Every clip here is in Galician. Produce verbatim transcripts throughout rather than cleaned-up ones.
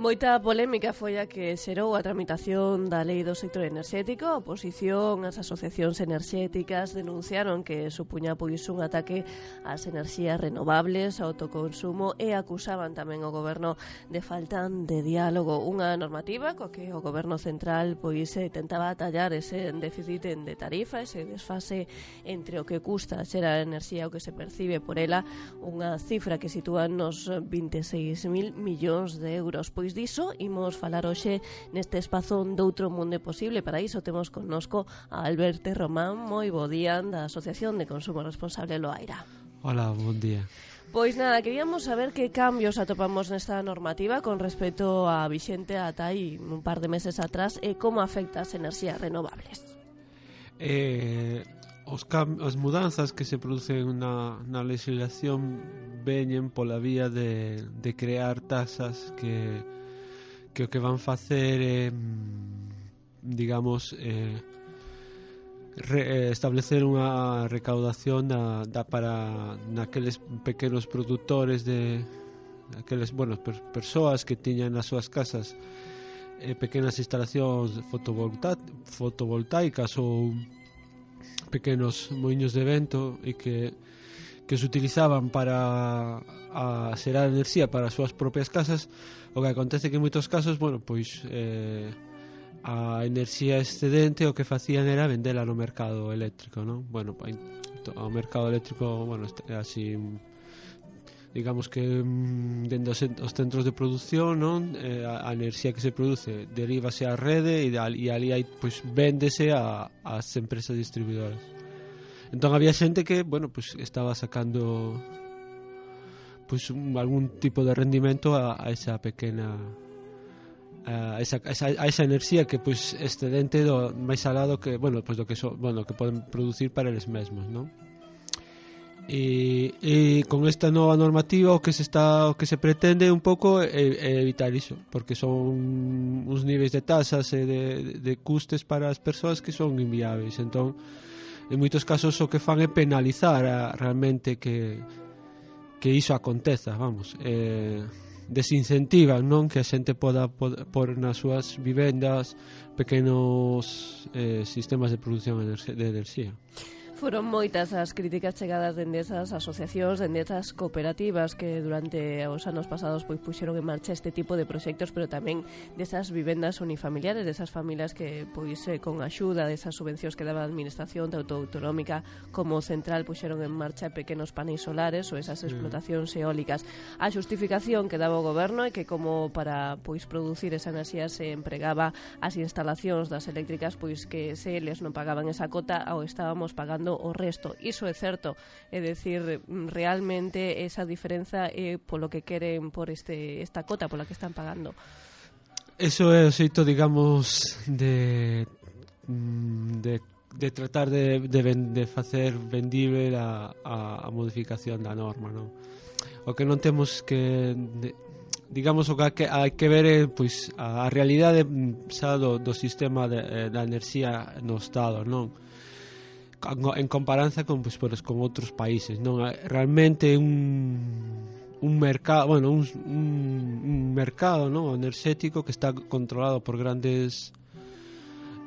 Moita polémica foi a que xerou a tramitación da lei do sector enerxético. A oposición, as asociacións enerxéticas denunciaron que supuña pois un ataque ás enerxías renovables, ao autoconsumo, e acusaban tamén o goberno de falta de diálogo. Unha normativa coa que o goberno central pois tentaba atallar ese déficit de tarifa, ese desfase entre o que custa xerar enerxía e o que se percibe por ela, unha cifra que sitúa nos vinte e seis mil millóns de euros. Pois diso imos falar hoxe neste espazo doutro mundo posible. Para iso temos connosco a Alberto Román. Moi bo día, da Asociación de Consumo Responsable Loaira. Hola, bon día. Pois nada, queríamos saber que cambios atopamos nesta normativa con respecto a vixente ata aí un par de meses atrás e como afecta as enerxías renovables. Eh, os cam as mudanzas que se producen na, na legislación veñen pola vía de, de crear tasas que que o que van facer é, eh, digamos, eh, re, eh, establecer unha recaudación da, da para naqueles pequenos produtores de aqueles, bueno, per, persoas que tiñan nas súas casas eh, pequenas instalacións fotovolta, fotovoltaicas ou pequenos moinhos de vento e que que se utilizaban para a xerar enerxía para as súas propias casas. O que acontece que en moitos casos, bueno, pois eh, a enerxía excedente o que facían era vendela no mercado eléctrico, non? Bueno, o mercado eléctrico, bueno, é así, digamos que dentro dos centros de produción, non? Eh, a, a enerxía que se produce derívase á rede e, e ali hai, pois, véndese a, as empresas distribuidoras. Entón había xente que, bueno, pues estaba sacando pues un, algún tipo de rendimento a, a esa pequena a esa, a esa, a esa enerxía que pues excedente do máis alado que, bueno, pues do que so, bueno, que poden producir para eles mesmos, ¿no? E, e con esta nova normativa o que se está o que se pretende un pouco é, é evitar iso, porque son uns niveis de tasas e de, de custes para as persoas que son inviables. Entón en moitos casos o que fan é penalizar a, realmente que que iso aconteza, vamos, eh, desincentivan, non, que a xente poda por nas súas vivendas pequenos eh, sistemas de produción de enerxía. Foron moitas as críticas chegadas dende esas asociacións, dende esas cooperativas que durante os anos pasados pois puxeron en marcha este tipo de proxectos, pero tamén desas vivendas unifamiliares, desas familias que pois eh, con axuda desas subvencións que daba a administración tanto autonómica como central puxeron en marcha pequenos paneis solares ou esas explotacións eólicas. A xustificación que daba o goberno é que como para pois producir esa enerxía se empregaba as instalacións das eléctricas, pois que se eles non pagaban esa cota ou estábamos pagando o resto. Iso é certo, é dicir, realmente esa diferenza é polo que queren por este esta cota pola que están pagando. Eso é o xeito, digamos, de de, de tratar de, de, de facer vendible a, a, a modificación da norma, non? O que non temos que de, digamos, o que hai que ver é pois a, a realidade xa do, do sistema de, da enerxía no Estado, non? En comparanza con, pues, pues, con outros países, non? Realmente un un mercado, bueno, un, un, un mercado, non, enerxético que está controlado por grandes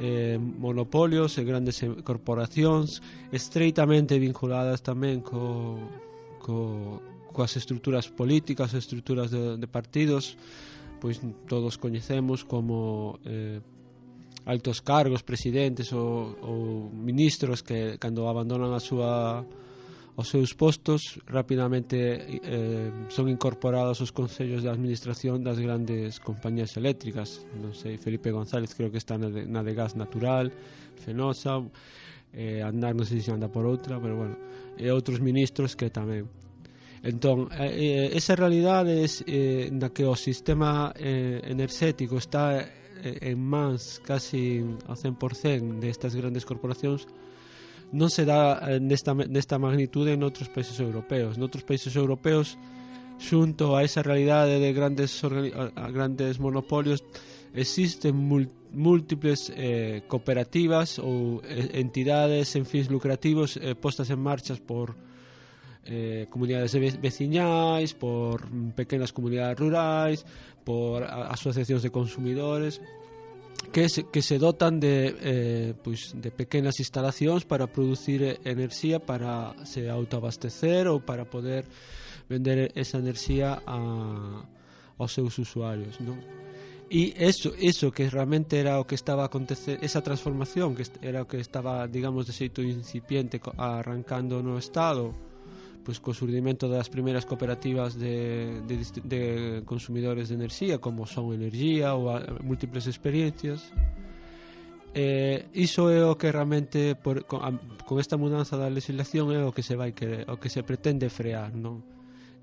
eh, monopolios e grandes corporacións estreitamente vinculadas tamén co, co, coas estruturas políticas, estruturas de, de partidos, pois todos coñecemos como eh, altos cargos, presidentes ou, ou ministros que cando abandonan a súa os seus postos rapidamente eh, son incorporados aos consellos de administración das grandes compañías eléctricas. Non sei, Felipe González creo que está na de, na de gas natural, Fenosa, eh, Andar non sei se anda por outra, pero bueno, e outros ministros que tamén. Entón, eh, esa realidade é eh, na que o sistema eh, enerxético está en mans casi ao cen por cento destas grandes corporacións non se dá nesta, nesta magnitude en outros países europeos. Noutros países europeos, xunto a esa realidade de grandes, grandes monopolios, existen múltiples eh, cooperativas ou eh, entidades en fins lucrativos eh, postas en marchas por eh, comunidades veciñais, por pequenas comunidades rurais, por asociacións de consumidores que se, que se dotan de, eh, pois, de pequenas instalacións para producir enerxía para se autoabastecer ou para poder vender esa enerxía a, aos seus usuarios, non? E eso, eso que realmente era o que estaba a acontecer, esa transformación que era o que estaba, digamos, de xeito incipiente arrancando no Estado, pois co surdimento das primeiras cooperativas de, de, de consumidores de enerxía, como Son Energía ou a, múltiples experiencias. Eh, iso é o que realmente por, con, a, con esta mudanza da legislación é o que se vai querer, o que se pretende frear, non?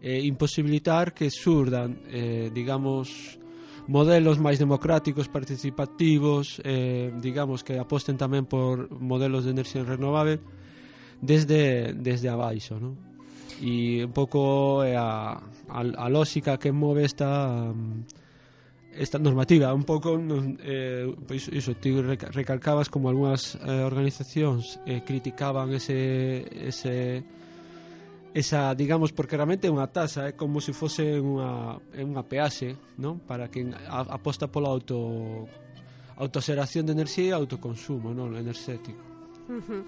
Eh, imposibilitar que surdan, eh, digamos, modelos máis democráticos, participativos, eh, digamos que aposten tamén por modelos de enerxía renovable desde desde abaixo, non? E un pouco é a, a, a lógica que move esta esta normativa un pouco eh, pois iso, ti recalcabas como algunhas eh, organizacións eh, criticaban ese ese esa, digamos, porque realmente é unha tasa, é como se fose unha unha peaxe, non? Para quen aposta pola auto autoxeración de enerxía e autoconsumo, non, enerxético. Uh-huh.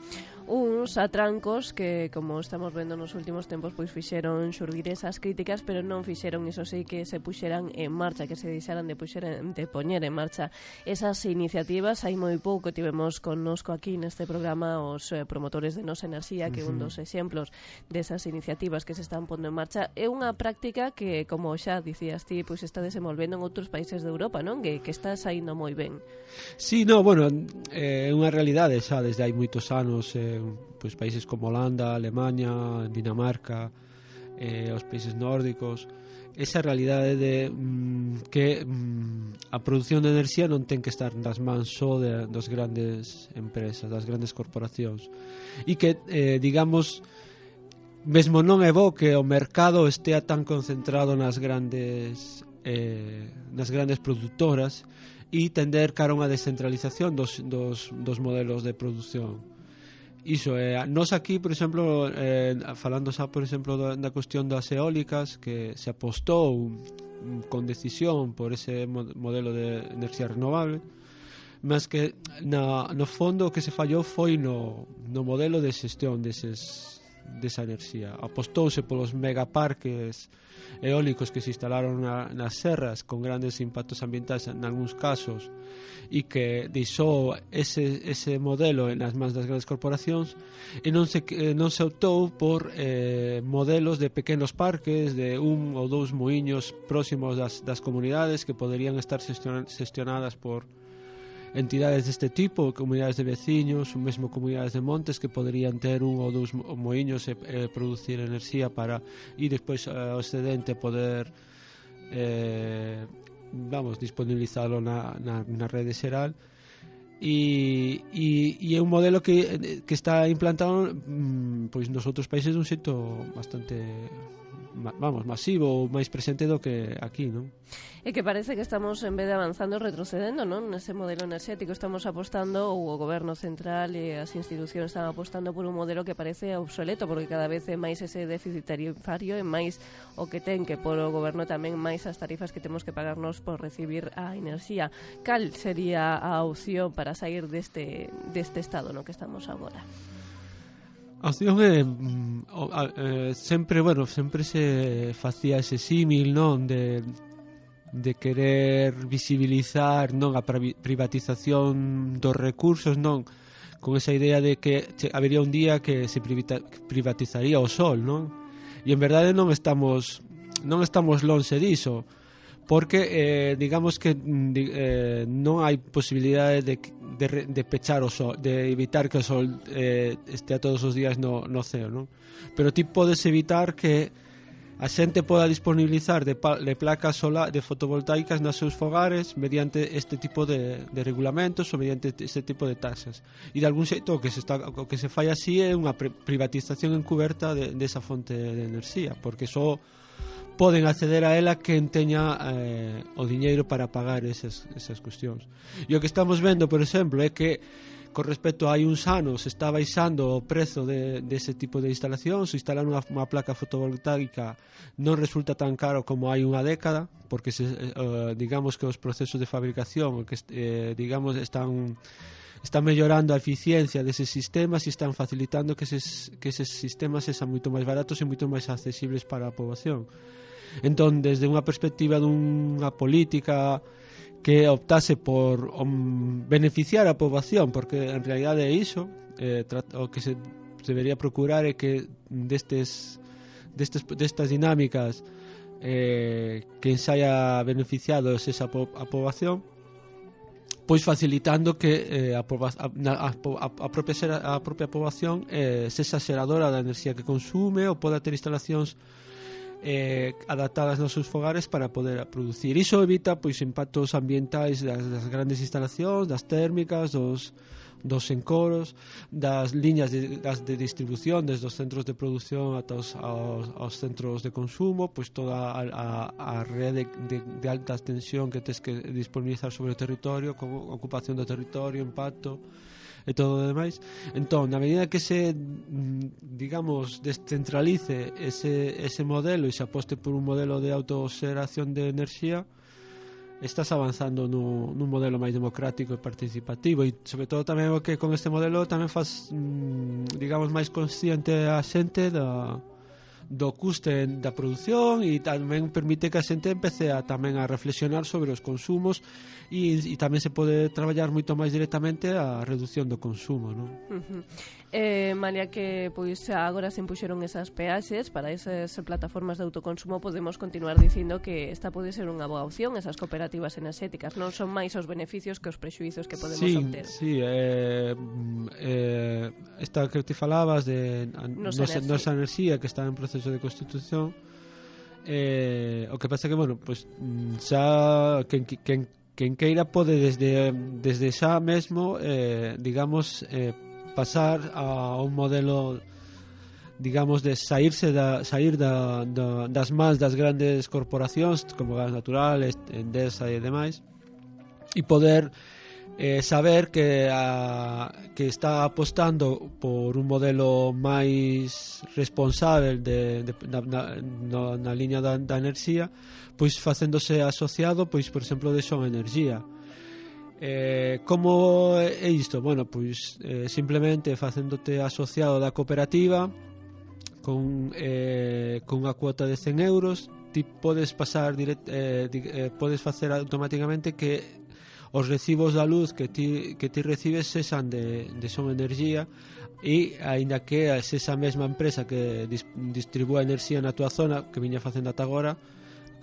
Uns atrancos que, como estamos vendo nos últimos tempos, pois fixeron xurdir esas críticas, pero non fixeron, iso sí, que se puxeran en marcha, que se deixaran de, puxeran, de poñer en marcha esas iniciativas. Hai moi pouco tivemos connosco aquí neste programa os eh, promotores de Nos Enerxía, que uh-huh. un dos exemplos desas iniciativas que se están pondo en marcha é unha práctica que, como xa dicías ti, pois está desenvolvendo en outros países de Europa, non? Que, que está saindo moi ben. Sí, no, bueno, é eh, unha realidade xa desde hai moitos anos, eh, pois países como Holanda, Alemanha, Dinamarca, eh, os países nórdicos, esa realidade de mm, que mm, a produción de enerxía non ten que estar nas mans só de, das grandes empresas, das grandes corporacións, e que, eh, digamos, mesmo non é bo que o mercado estea tan concentrado nas grandes eh, nas grandes produtoras e tender cara a unha descentralización dos, dos, dos modelos de produción. Iso, eh, nos aquí, por exemplo, eh, falando xa, por exemplo, da, da cuestión das eólicas, que se apostou con decisión por ese modelo de enerxía renovable, mas que na, no fondo o que se fallou foi no, no modelo de xestión deses, desa enerxía. Apostouse polos megaparques eólicos que se instalaron na, nas serras con grandes impactos ambientais en algúns casos, e que deixou ese, ese modelo nas mans das grandes corporacións, e non se, non se optou por eh, modelos de pequenos parques de un ou dous muiños próximos das, das comunidades que poderían estar xestionadas por entidades deste tipo, comunidades de veciños, ou mesmo comunidades de montes que poderían ter un ou dous moiños e, e producir enerxía para e despois ao excedente poder eh, vamos, disponibilizalo na, na, na rede xeral. E, e, e é un modelo que, que está implantado mm, pois nos outros países dun xeito bastante vamos, masivo ou máis presente do que aquí, non? É que parece que estamos, en vez de avanzando, retrocedendo, non? Nese modelo enerxético estamos apostando, ou o goberno central e as institucións están apostando por un modelo que parece obsoleto, porque cada vez é máis ese déficit tarifario e máis o que ten que por o goberno tamén máis as tarifas que temos que pagarnos por recibir a enerxía. Cal sería a opción para sair deste, deste estado no que estamos agora? A opción é eh, sempre, bueno, sempre se facía ese símil, non, de de querer visibilizar, non, a privatización dos recursos, non, con esa idea de que habería un día que se privatizaría o sol, non? E en verdade non estamos non estamos lonxe diso, porque eh, digamos que eh, non hai posibilidade de, de, de pechar o sol, de evitar que o sol eh, estea todos os días no, no ceo, non? Pero ti podes evitar que a xente poda disponibilizar de, de placas solar, de fotovoltaicas nos seus fogares mediante este tipo de, de regulamentos ou mediante este tipo de taxas. E de algún xeito o que se, está, o que se fai así é unha privatización encuberta de, de esa fonte de enerxía, porque só poden acceder a ela quen teña eh, o diñeiro para pagar esas, esas cuestións. E o que estamos vendo, por exemplo, é que con respecto a hai uns anos está baixando o prezo de, de ese tipo de instalacións. Instalar unha, unha placa fotovoltaica non resulta tan caro como hai unha década, porque se, eh, digamos que os procesos de fabricación que, eh, digamos están están mellorando a eficiencia deses sistemas e están facilitando que eses, que eses sistemas sexan moito máis baratos e moito máis accesibles para a poboación. Entón, desde unha perspectiva dunha política que optase por um, beneficiar a poboación, porque en realidade é iso, eh, o que se debería procurar é que destes, destes, destas dinámicas eh, que ensaia beneficiados esa po, a poboación, pois facilitando que eh, a, a, a, a, propia, a propia poboación eh, sexa xeradora da enerxía que consume ou poda ter instalacións Eh, adaptadas nos seus fogares para poder producir. Iso evita pois impactos ambientais das, das grandes instalacións, das térmicas, dos, dos encoros, das liñas de, das de distribución desde os centros de produción ata os, aos, aos centros de consumo, pois toda a, a, a rede de, de alta tensión que tes que disponibilizar sobre o territorio, con ocupación do territorio, impacto e todo o demais. Entón, na medida que se, digamos, descentralice ese, ese modelo e se aposte por un modelo de autoxeración de enerxía, estás avanzando no, nun modelo máis democrático e participativo, e sobre todo tamén o que con este modelo tamén faz, digamos, máis consciente a xente da, do custe da produción, e tamén permite que a xente empece a tamén a reflexionar sobre os consumos, e, e tamén se pode traballar moito máis directamente a reducción do consumo, non? Uh-huh. Eh, malia que pois agora se impuxeron esas peaxes para esas plataformas de autoconsumo, podemos continuar dicindo que esta pode ser unha boa opción, esas cooperativas enerxéticas non son máis os beneficios que os prexuizos que podemos sí, obter. Sí, eh, eh, esta que te falabas de nosa enerxía. enerxía que está en proceso de constitución, eh, o que pasa que, bueno, pues, xa quen, quen, quen queira pode desde, desde xa mesmo eh, digamos eh, pasar a un modelo, digamos, de saírse da, sair da, da, das mans das grandes corporacións como Gas Natural, Endesa e demais, e poder eh, saber que, a, que está apostando por un modelo máis responsable de, de, na, na, na liña da, da enerxía, pois facéndose asociado, pois, por exemplo, de Son Enerxía. Eh, como é isto? Bueno, pois eh, simplemente facéndote asociado da cooperativa con, eh, con unha cuota de cen euros, ti podes pasar direct, eh, di, eh, podes facer automáticamente que os recibos da luz que ti, que ti recibes sexan de, de Son Enerxía, e aínda que é esa mesma empresa que dis, distribúa enerxía na túa zona, que viña facendo ata agora,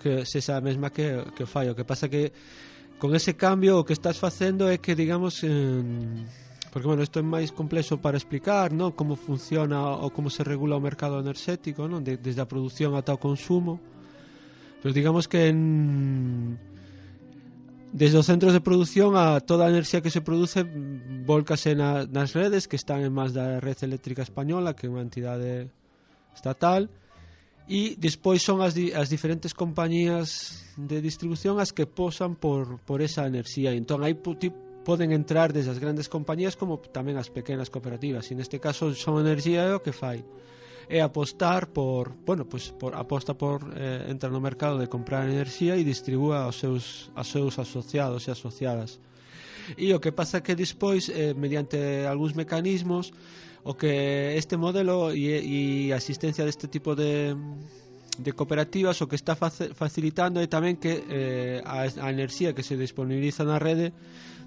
que sexa a mesma que, que fai. O que pasa que con ese cambio o que estás facendo é que, digamos, eh, porque, bueno, isto é máis complexo para explicar, ¿no?, como funciona ou como se regula o mercado enerxético, ¿no?, de, desde a produción ata o consumo, pero digamos que en, desde os centros de produción a toda a enerxía que se produce volcase na, nas redes que están en más da Red Eléctrica Española, que é unha entidade estatal, e despois son as, di, as diferentes compañías de distribución as que posan por, por esa enerxía. Entón aí poden entrar desde as grandes compañías como tamén as pequenas cooperativas, e neste caso Son Enerxía é o que fai, é apostar por, bueno, pues por aposta por eh, entrar no mercado de comprar enerxía e distribúa aos seus, aos seus asociados e asociadas. E o que pasa que despois, eh, mediante algúns mecanismos, o que este modelo e, e a existencia deste tipo de, de cooperativas o que está facilitando é tamén que eh, a, a enerxía que se disponibiliza na rede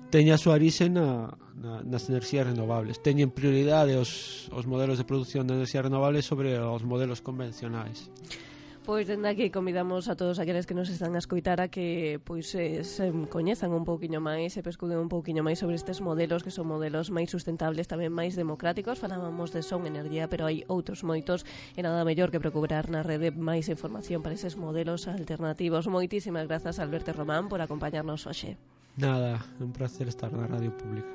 teña a súa orixe na, na, nas enerxías renovables. Teñen prioridade os, os modelos de produción de enerxías renovables sobre os modelos convencionais. Pois dende aquí convidamos a todos aqueles que nos están a escoitar a que pois eh, se coñezan un pouquiño máis, se pescuden un pouquiño máis sobre estes modelos, que son modelos máis sustentables, tamén máis democráticos. Falábamos de Son Energía, pero hai outros moitos, e nada mellor que procurar na rede máis información para eses modelos alternativos. Moitísimas grazas, Alberto Román, por acompañarnos hoxe. Nada, un placer estar na Radio Pública.